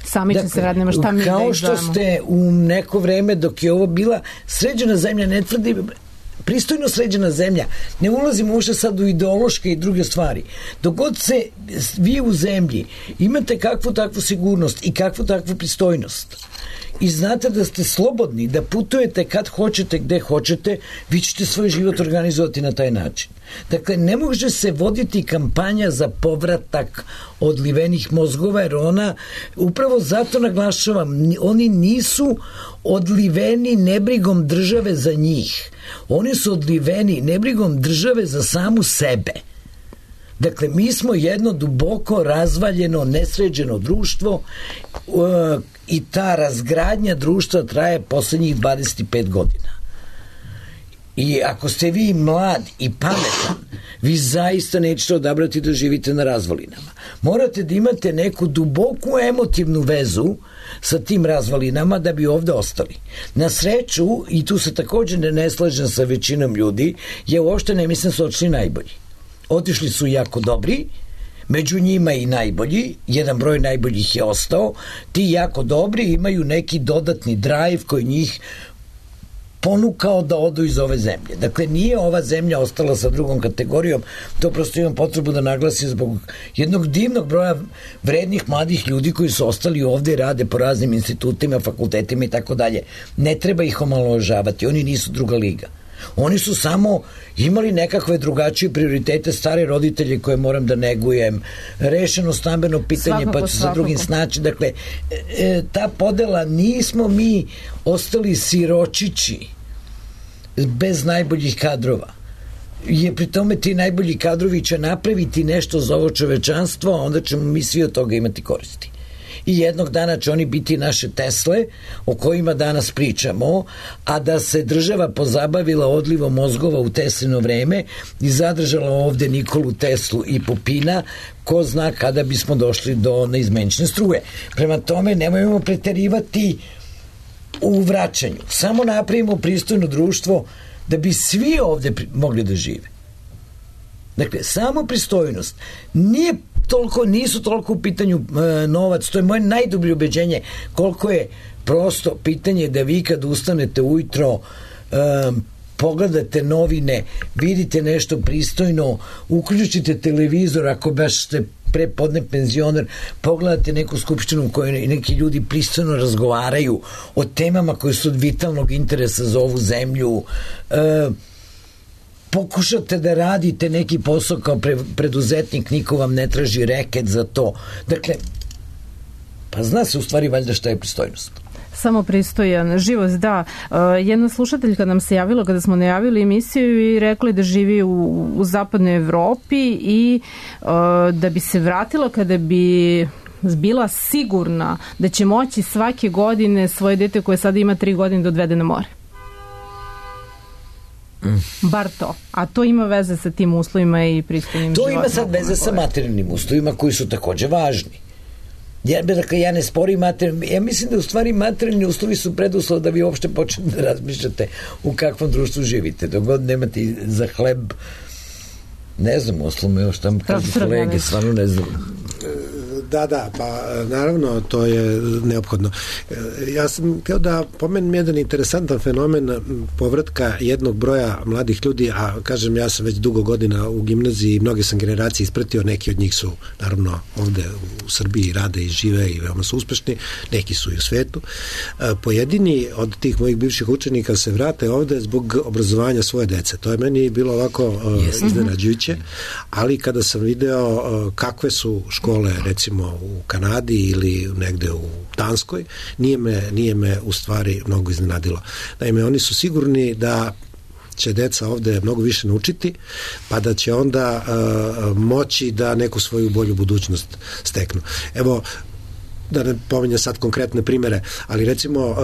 Sami će se vratiti, nema šta mi da kao što ste u neko vreme dok je ovo bila sređena zemlja, ne tvrdi pristojno sređena zemlja, ne ulazimo uopšte sad u ideološke i druge stvari. Dok god se vi u zemlji imate kakvu takvu sigurnost i kakvu takvu pristojnost i znate da ste slobodni, da putujete kad hoćete, gde hoćete, vi ćete svoj život organizovati na taj način. Dakle, ne može se voditi kampanja za povratak odlivenih mozgova, jer ona, upravo zato naglašavam, oni nisu odliveni nebrigom države za njih. Oni su odliveni nebrigom države za samu sebe. Dakle, mi smo jedno duboko razvaljeno, nesređeno društvo uh, i ta razgradnja društva traje poslednjih dvadeset pet godina. I ako ste vi mlad i pametan, vi zaista nećete odabrati da živite na razvalinama. Morate da imate neku duboku emotivnu vezu sa tim razvalinama da bi ovde ostali. Na sreću, i tu se također ne, ne slažem sa većinom ljudi, ja uopšte ne mislim da su otišli najbolji. Otišli su jako dobri, među njima i najbolji, jedan broj najboljih je ostao, ti jako dobri imaju neki dodatni drive koji njih ponukao da odu iz ove zemlje. Dakle, nije ova zemlja ostala sa drugom kategorijom, to prosto imam potrebu da naglasim zbog jednog divnog broja vrednih mladih ljudi koji su ostali ovde i rade po raznim institutima, fakultetima i tako dalje. Ne treba ih omalovažavati, oni nisu druga liga. Oni su samo imali nekakve drugačije prioritete, stare roditelje koje moram da negujem, rešeno stambeno pitanje, svakako, pa ću sa drugim snaći. Dakle, e, ta podela, nismo mi ostali siročići bez najboljih kadrova. Je pri tome ti najbolji kadrovi će napraviti nešto za ovo čovečanstvo, a onda ćemo mi svi od toga imati koristi. I jednog dana će oni biti naše Tesle o kojima danas pričamo, a da se država pozabavila odlivom mozgova u Teslino vreme i zadržala ovde Nikolu Teslu i Pupina, ko zna kada bismo došli do neizmenčne struje. Prema tome, nemojmo preterivati u vraćanju. Samo napravimo pristojno društvo da bi svi ovde mogli da žive. Dakle, samo pristojnost. Nije toliko, nisu toliko u pitanju e, novac, to je moje najdublje ubeđenje, koliko je prosto pitanje da vi kad ustanete ujutro, e, pogledate novine, vidite nešto pristojno, uključite televizor ako baš ste prepodne penzioner, pogledate neku skupštinu u kojoj neki ljudi pristojno razgovaraju o temama koje su od vitalnog interesa za ovu zemlju, e, pokušate da radite neki posao kao pre, preduzetnik, niko vam ne traži reket za to. Dakle, pa zna se u stvari valjda šta je pristojnost. Samo pristojan život, da. Uh, jedna slušateljka nam se javila kada smo najavili emisiju i rekla da živi u, u zapadnoj Evropi i uh, da bi se vratila kada bi bila sigurna da će moći svake godine svoje dete koje sada ima tri godine da odvede na more. Bar to. A to ima veze sa tim uslovima i pristojnim životom. To ima sad veze sa materijalnim uslovima koji su takođe važni. Ja, dakle, ja ne sporim materijalni, ja mislim da u stvari materijalni uslovi su preduslov da vi uopšte počnete da razmišljate u kakvom društvu živite. Dok god nemate za hleb, ne znam, oslovno još tamo kažu kolege, stvarno ne znam. Da, da, pa naravno to je neophodno. Ja sam htio da pomenem jedan interesantan fenomen povratka jednog broja mladih ljudi, a kažem, ja sam već dugo godina u gimnaziji i mnoge sam generacije ispratio, neki od njih su naravno ovde u Srbiji rade i žive i veoma su uspešni, neki su i u svetu. Pojedini od tih mojih bivših učenika se vrate ovde zbog obrazovanja svoje dece. To je meni bilo ovako yes. iznenađujuće, ali kada sam video kakve su škole, recimo u Kanadi ili negde u Danskoj, nije me, nije me u stvari mnogo iznenadilo. Naime, oni su sigurni da će deca ovde mnogo više naučiti, pa da će onda uh, moći da neku svoju bolju budućnost steknu. Evo, da ne pominjem sad konkretne primere, ali recimo uh,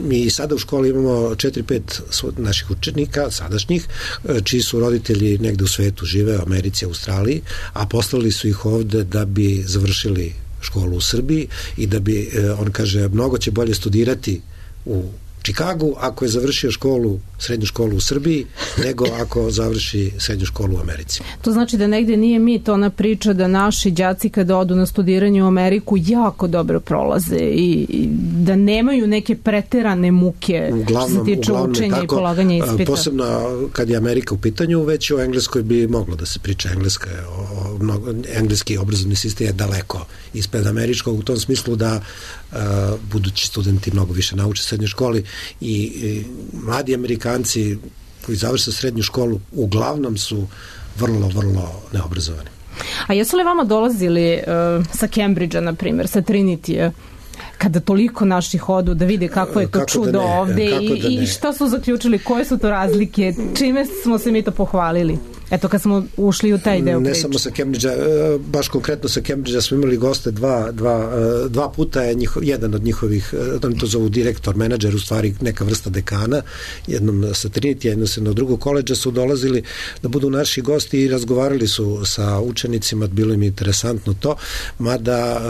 mi sada u školi imamo četiri pet naših učenika, sadašnjih, uh, čiji su roditelji negde u svetu žive, u Americi, Australiji, a poslali su ih ovde da bi završili školu u Srbiji i da bi, uh, on kaže, mnogo će bolje studirati u Čikagu ako je završio školu, srednju školu u Srbiji, nego ako završi srednju školu u Americi. To znači da negde nije mit ona priča da naši đaci kada odu na studiranje u Ameriku jako dobro prolaze i, i da nemaju neke preterane muke uglavnom, što se tiče učenja tako, i polaganja ispita. Posebno kad je Amerika u pitanju, već o Engleskoj bi moglo da se priča. Engleska je, o, mnogo, engleski obrazovni sistem je daleko ispred američkog u tom smislu da uh, budući studenti mnogo više nauče u srednjoj školi i, i mladi Amerikanci koji završe srednju školu uglavnom su vrlo, vrlo neobrazovani. A jesu li vama dolazili uh, sa Cambridgea, na primjer, sa Trinity-a, kada toliko naših odu da vide kako je to kako čudo da ovde i, da i šta su zaključili, koje su to razlike, čime smo se mi to pohvalili? Eto, kad smo ušli u taj deo priče. Ne samo sa Cambridgea, baš konkretno sa Cambridgea smo imali goste dva, dva, dva puta je njihov, jedan od njihovih, oni to zovu direktor, menadžer, u stvari neka vrsta dekana, jednom sa Trinity, jednom sa drugog koleđa su dolazili da budu naši gosti i razgovarali su sa učenicima, bilo im interesantno to, mada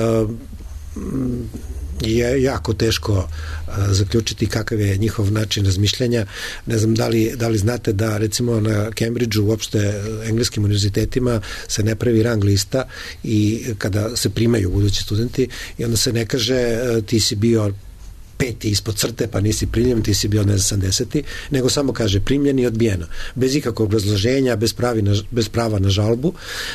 je jako teško a, zaključiti kakav je njihov način razmišljanja. Ne znam da li, da li znate da recimo na Cambridgeu, uopšte engleskim univerzitetima se ne pravi rang lista i kada se primaju budući studenti i onda se ne kaže ti si bio peti ispod crte, pa nisi primljen, ti si bio ne znam sedamdeseti, nego samo kaže primljen i odbijeno. Bez ikakvog obrazloženja, bez, pravi na, bez prava na žalbu.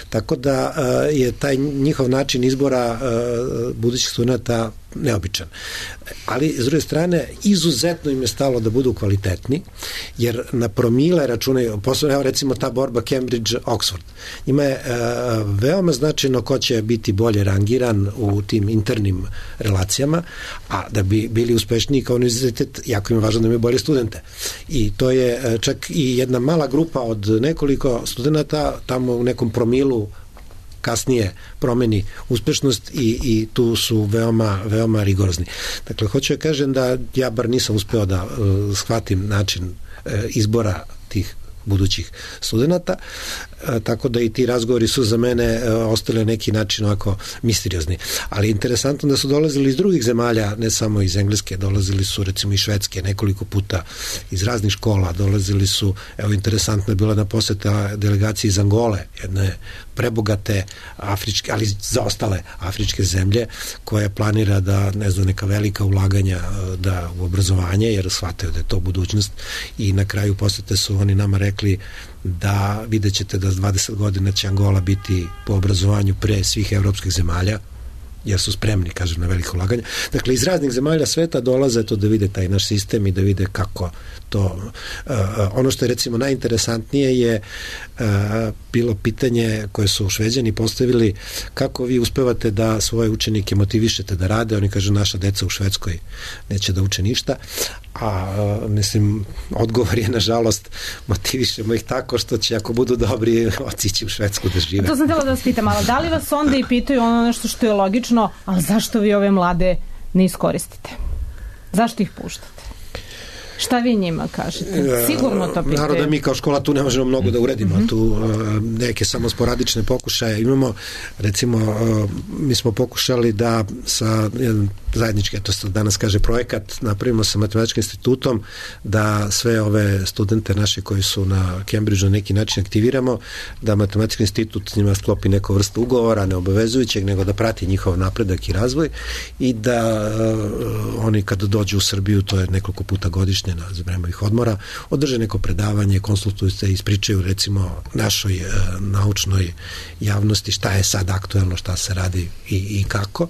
Tako da uh, je taj njihov način izbora uh, budućih studenta neobičan. Ali, s druge strane, izuzetno im je stalo da budu kvalitetni, jer na promile računaju, posebno, evo recimo ta borba Cambridge-Oxford. Ima je uh, veoma značajno ko će biti bolje rangiran u tim internim relacijama, a da bi bili uspešniji kao univerzitet, jako im je važno da imaju bolje studente. I to je uh, čak i jedna mala grupa od nekoliko studenta tamo u nekom promilu kasnije promeni uspešnost i, i tu su veoma, veoma rigorozni. Dakle, hoću da kažem da ja bar nisam uspeo da uh, shvatim način uh, izbora tih budućih studenta, e, tako da i ti razgovori su za mene e, ostali na neki način ovako misteriozni. Ali interesantno da su dolazili iz drugih zemalja, ne samo iz Engleske, dolazili su recimo iz Švedske nekoliko puta, iz raznih škola, dolazili su, evo interesantno je bila na poseta delegaciji iz Angole, jedne prebogate afričke, ali za ostale afričke zemlje, koja planira da, ne znam, neka velika ulaganja da u obrazovanje, jer shvataju da je to budućnost i na kraju posete su oni nama rekli da vidjet ćete da s dvadeset godina će Angola biti po obrazovanju pre svih evropskih zemalja, jer su spremni, kažem, na veliko ulaganje. Dakle, iz raznih zemalja sveta dolaze to da vide taj naš sistem i da vide kako to... Uh, ono što je, recimo, najinteresantnije je uh, bilo pitanje koje su Šveđani postavili, kako vi uspevate da svoje učenike motivišete da rade. Oni kažu, naša deca u Švedskoj neće da uče ništa, a uh, mislim, odgovor je, nažalost, motivišemo ih tako što će, ako budu dobri, otići u Švedsku da žive. To sam htjela da vas pitam, ali da li vas onda i pitaju ono nešto što je logično, ali zašto vi ove mlade ne iskoristite? Zašto ih puštate? Šta vi njima kažete? Sigurno to pitaju. Naravno da mi kao škola tu ne možemo mnogo da uredimo, mm-hmm. tu uh, neke samo sporadične pokušaje imamo. Recimo, uh, mi smo pokušali da sa jedan zajednički, to se danas kaže projekat, napravimo sa Matematičkim institutom, da sve ove studente naše koji su na Cambridgeu na neki način aktiviramo, da Matematički institut s njima sklopi neku vrstu ugovora, neobavezujućeg, nego da prati njihov napredak i razvoj i da uh, oni kad dođu u Srbiju, to je nekoliko puta godišnje na vremenih odmora, održe neko predavanje, konsultuju se i ispričaju recimo našoj e, naučnoj javnosti šta je sad aktuelno, šta se radi i, i kako.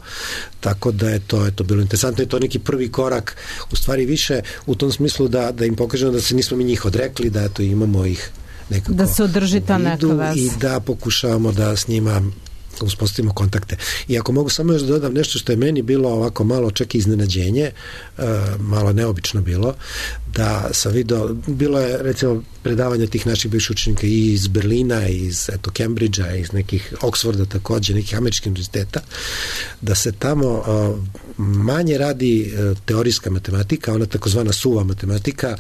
Tako da je to, je to bilo interesantno i to je neki prvi korak, u stvari više u tom smislu da, da im pokažemo da se nismo mi njih odrekli, da eto imamo ih nekako da se održi ta neka veza i da pokušavamo da s njima uspostavimo kontakte. I ako mogu samo još da dodam nešto što je meni bilo ovako malo čak i iznenađenje, uh, malo neobično bilo, da sam video, bilo je recimo predavanja tih naših bivših učenika i iz Berlina, i iz eto, Cambridgea, iz nekih Oxforda takođe, nekih američkih univerziteta, da se tamo a, manje radi a, teorijska matematika, ona takozvana suva matematika,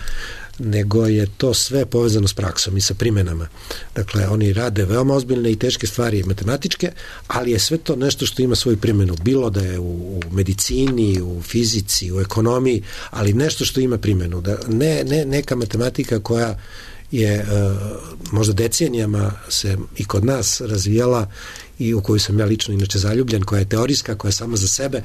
nego je to sve povezano s praksom i sa primenama. Dakle, oni rade veoma ozbiljne i teške stvari matematičke, ali je sve to nešto što ima svoju primjenu. Bilo da je u, u medicini, u fizici, u ekonomiji, ali nešto što ima primjenu. Da ne, ne neka matematika koja je uh, možda decenijama se i kod nas razvijala i u koju sam ja lično inače zaljubljen, koja je teorijska, koja je sama za sebe.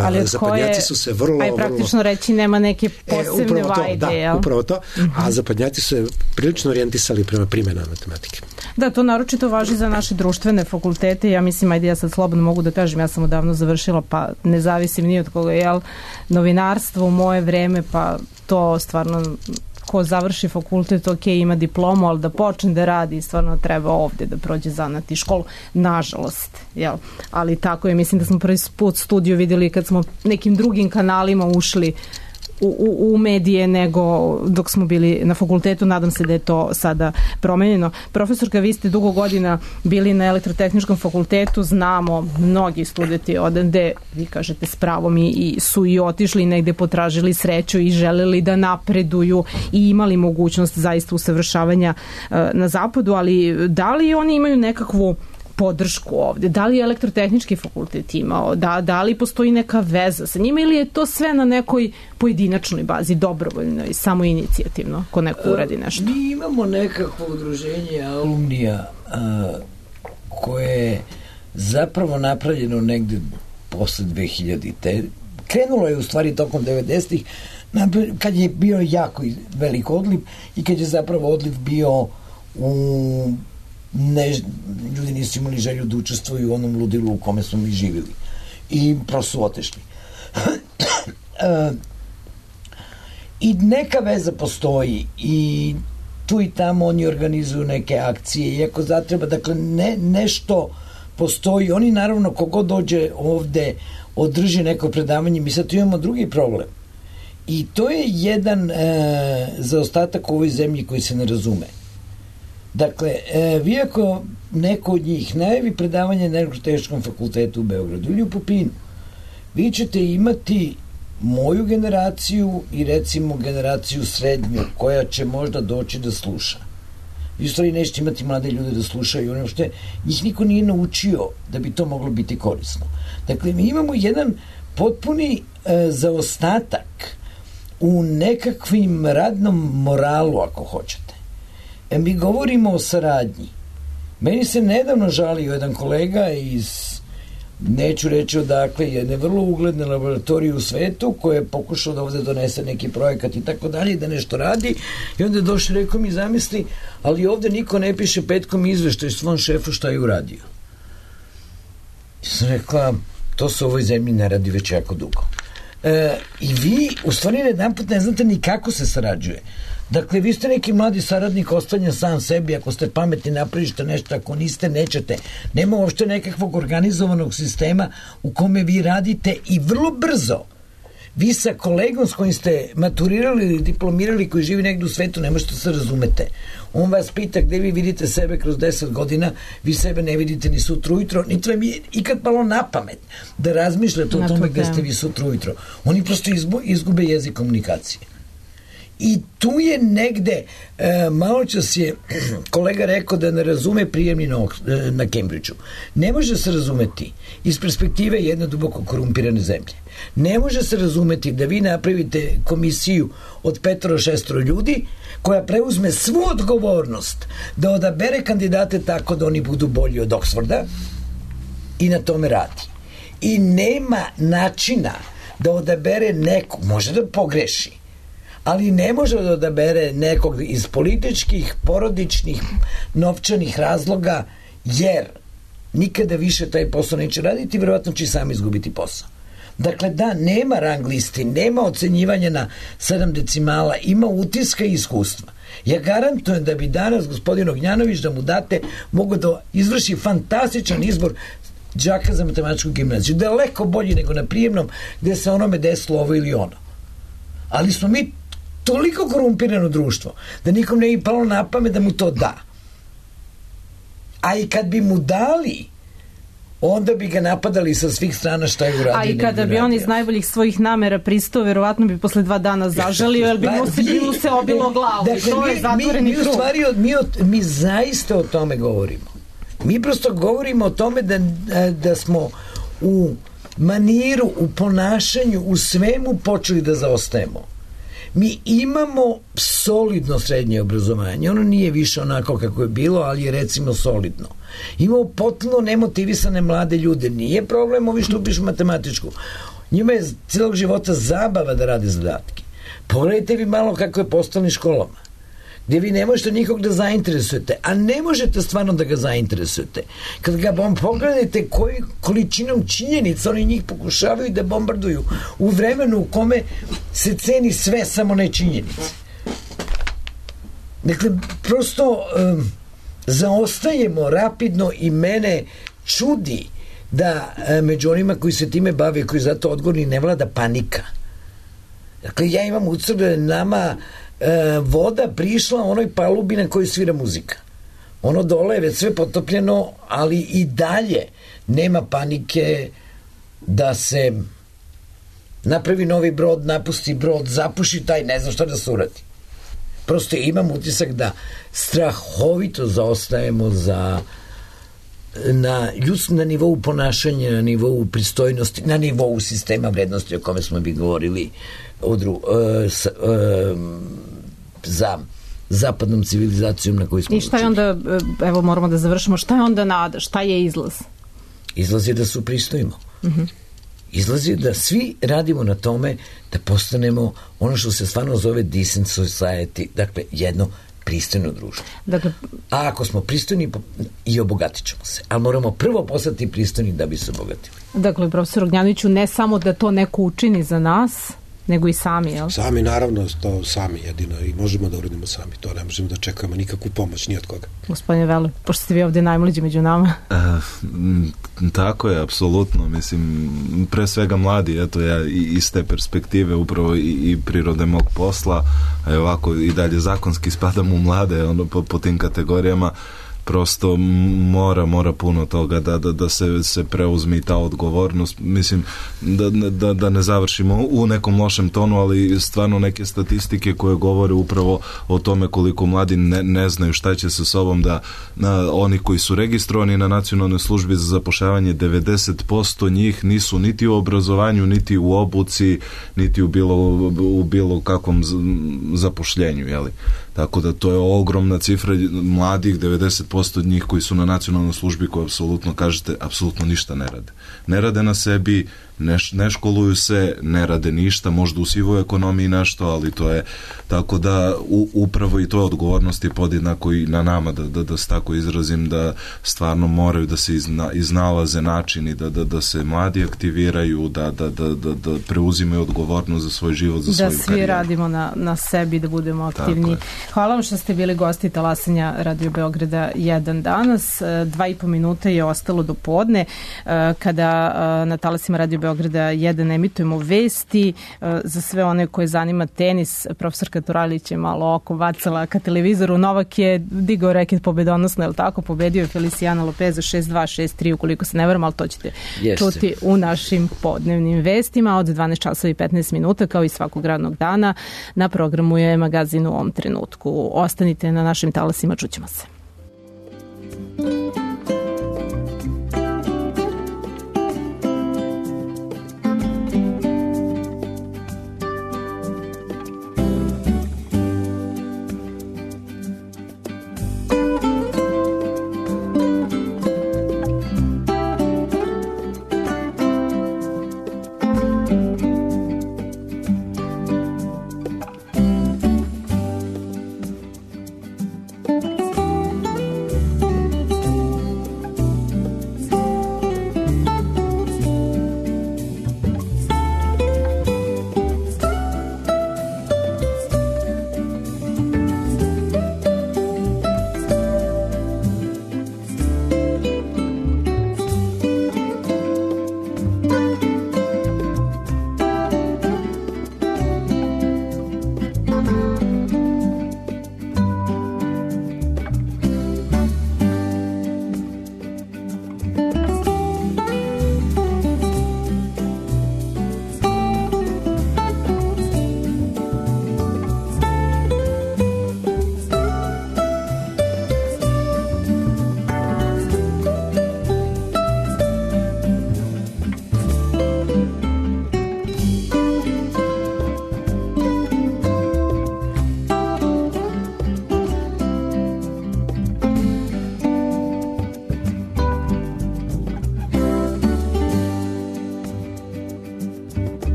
Ali zapadnjaci su se vrlo... Aj praktično vrlo, reći nema neke posebne e, vajde. To, da, jel? upravo to. Uh-huh. A zapadnjaci su se prilično orijentisali prema primjena matematike. Da, to naročito važi za naše društvene fakultete. Ja mislim, ajde ja sad slobodno mogu da kažem, ja sam odavno završila, pa ne zavisim ni od koga, jel? Novinarstvo u moje vreme, pa to stvarno... ko završi fakultet, ok, ima diplomu, ali da počne da radi, stvarno treba ovde da prođe zanat i školu. Nažalost, jel? Ali tako je, mislim da smo prvi put studiju videli kad smo nekim drugim kanalima ušli u, u, u medije nego dok smo bili na fakultetu. Nadam se da je to sada promenjeno. Profesorka, vi ste dugo godina bili na Elektrotehničkom fakultetu, znamo mnogi studenti odande, vi kažete s pravom, i, i su i otišli negde, potražili sreću i želeli da napreduju i imali mogućnost zaista usavršavanja uh, na zapadu, ali da li oni imaju nekakvu podršku ovde? Da li je Elektrotehnički fakultet imao? Da, da li postoji neka veza sa njima ili je to sve na nekoj pojedinačnoj bazi, dobrovoljnoj, samo inicijativno, ko neko uradi nešto? Mi imamo nekakvo udruženje alumnija a, koje je zapravo napravljeno negde posle dve hiljadite. Krenulo je u stvari tokom devedesetih kad je bio jako velik odliv i kad je zapravo odliv bio u ne, ljudi nisu imali želju da učestvuju u onom ludilu u kome smo mi živjeli i prosto su otešli. e, i neka veza postoji i tu i tamo oni organizuju neke akcije i ako zatreba, dakle ne, nešto postoji, oni naravno kogod dođe ovde održi neko predavanje, mi sad tu imamo drugi problem i to je jedan e, zaostatak u ovoj zemlji koji se ne razume. Dakle, e, vi ako neko od njih najavi predavanje na Elektrotehničkom fakultetu u Beogradu ili u Pupinu, vi ćete imati moju generaciju i recimo generaciju srednju koja će možda doći da sluša. Vi u stvari nećete imati mlade ljude da slušaju ono što je, njih niko nije naučio da bi to moglo biti korisno. Dakle, mi imamo jedan potpuni e, zaostatak u nekakvim radnom moralu, ako hoćete. E, mi govorimo o saradnji. Meni se nedavno žalio jedan kolega iz, neću reći odakle, jedne vrlo ugledne laboratorije u svetu koja je pokušao da ovde donese neki projekat i tako dalje, da nešto radi i onda je došao i rekao mi zamisli, ali ovde niko ne piše petkom izveštaj svom šefu šta je uradio. I sam rekla, to se u ovoj zemlji ne radi već jako dugo. E, I vi u stvari jedan put ne znate ni kako se sarađuje. Dakle, vi ste neki mladi saradnik ostavljen sam sebi, ako ste pametni napravište nešto, ako niste, nećete. Nema uopšte nekakvog organizovanog sistema u kome vi radite i vrlo brzo vi sa kolegom s kojim ste maturirali ili diplomirali, koji živi negdje u svetu, ne možete se razumete. On vas pita gde vi vidite sebe kroz deset godina, vi sebe ne vidite ni sutra ujutro, niti vam je ikad palo na pamet da razmišljate o tome gde ste vi sutra ujutro. Oni prosto izgube jezik komunikacije. I tu je negde, e, malo čas je kolega rekao da ne razume prijemni na, e, na Cambridgeu. Ne može se razumeti iz perspektive jedne duboko korumpirane zemlje. Ne može se razumeti da vi napravite komisiju od petoro šestoro ljudi koja preuzme svu odgovornost da odabere kandidate tako da oni budu bolji od Oxforda i na tome radi. I nema načina da odabere nekog, može da pogreši, ali ne može da odabere nekog iz političkih, porodičnih, novčanih razloga, jer nikada više taj posao neće raditi, vjerovatno će sam izgubiti posao. Dakle, da, nema rang listi, nema ocenjivanja na sedam decimala, ima utiska i iskustva. Ja garantujem da bi danas gospodin Ognjanović, da mu date, mogu da izvrši fantastičan izbor đaka za matematičku gimnaziju. Daleko bolji nego na prijemnom, gde se onome desilo ovo ili ono. Ali smo mi toliko korumpirano društvo da nikom ne bi palo na pamet da mu to da. A i kad bi mu dali, onda bi ga napadali sa svih strana šta je uradio. A i kada bi on iz najboljih svojih namera pristao, verovatno bi posle dva dana zažalio, jer bi mu se, bi mu se obilo glavu. Dakle, to mi, je zatvoreni mi, mi, krug. stvari, mi, mi zaista o tome govorimo. Mi prosto govorimo o tome da, da smo u maniru, u ponašanju, u svemu počeli da zaostajemo. Mi imamo solidno srednje obrazovanje, ono nije više onako kako je bilo, ali je recimo solidno. Imamo potpuno nemotivisane mlade ljude, nije problem ovi što upišu matematičku. Njima je cijelog života zabava da rade zadatke. Pogledajte vi malo kako je po osnovnim školama, gdje vi ne možete nikog da zainteresujete, a ne možete stvarno da ga zainteresujete. Kad ga vam pogledajte koji količinom činjenica oni njih pokušavaju da bombarduju u vremenu u kome se ceni sve, samo ne činjenice. Dakle, prosto um, zaostajemo rapidno i mene čudi da um, među onima koji se time bave, koji zato odgovorni, ne vlada panika. Dakle, ja imam utisak da je nama E, voda prišla onoj palubi na kojoj svira muzika. Ono dole je već sve potopljeno, ali i dalje nema panike da se napravi novi brod, napusti brod, zapuši taj, ne znam šta da se uradi. Prosto imam utisak da strahovito zaostajemo za na, ljudsk, na nivou ponašanja, na nivou pristojnosti, na nivou sistema vrednosti o kome smo bi govorili odru, uh, s, uh, za zapadnom civilizacijom na kojoj smo I šta je onda, evo moramo da završimo, šta je onda nada, šta je izlaz? Izlaz je da se upristojimo. Uh-huh. Izlaz je da svi radimo na tome da postanemo ono što se stvarno zove decent society, dakle jedno pristojno društvo. Dakle, a ako smo pristojni i obogatit ćemo se, ali moramo prvo postati pristojni da bi se obogatili. Dakle, profesor Ognjanoviću, ne samo da to neko učini za nas, nego i sami, jel? Sami, naravno, to sami jedino i možemo da uradimo sami. To ne možemo da čekamo nikakvu pomoć ni od koga. Gospodine Vele, pošto ste vi ovdje najmlađi među nama. E, tako je, apsolutno. Mislim, pre svega mladi, eto ja iz te perspektive upravo i, i prirode mog posla, a ovako i dalje zakonski spadam u mlade, ono, po, po tim kategorijama, prosto mora, mora puno toga da, da, da se, se preuzme ta odgovornost. Mislim, da, da, da ne završimo u nekom lošem tonu, ali stvarno neke statistike koje govore upravo o tome koliko mladi ne, ne znaju šta će sa sobom da na, oni koji su registrovani na Nacionalnoj službi za zapošljavanje, devedeset posto njih nisu niti u obrazovanju, niti u obuci, niti u bilo, u bilo kakvom zapošljenju, jeli? Tako da to je ogromna cifra mladih, devedeset posto od njih koji su na nacionalnoj službi, koji apsolutno, kažete, apsolutno ništa ne rade. Ne rade na sebi, ne, ne školuju se, ne rade ništa, možda u sivoj ekonomiji nešto, ali to je tako da u, upravo i to je odgovornost je podjednako i na nama, da, da, da se tako izrazim, da stvarno moraju da se izna, iznalaze načini, da, da, da se mladi aktiviraju, da, da, da, da, da preuzimaju odgovornost za svoj život, za svoju karijeru. karijeru. Da svi radimo na, na sebi, da budemo aktivni. Hvala vam što ste bili gosti talasanja Radio Beograda jedan danas. Dva i po minuta je ostalo do podne kada na talasima Radio Beograda jedan emitujemo vesti. Za sve one koje zanima tenis, profesorka Turalić je malo oko bacala ka televizoru. Novak je digao reket pobedonosno, je li tako? Pobedio je Feliciano Lopeza šest dva, šest tri, ukoliko se ne varam, ali to ćete Jeste. čuti u našim podnevnim vestima od dvanaest časova i petnaest minuta, kao i svakog radnog dana. Na programu je magazin U ovom trenutku. Ostanite na našim talasima, čućemo se.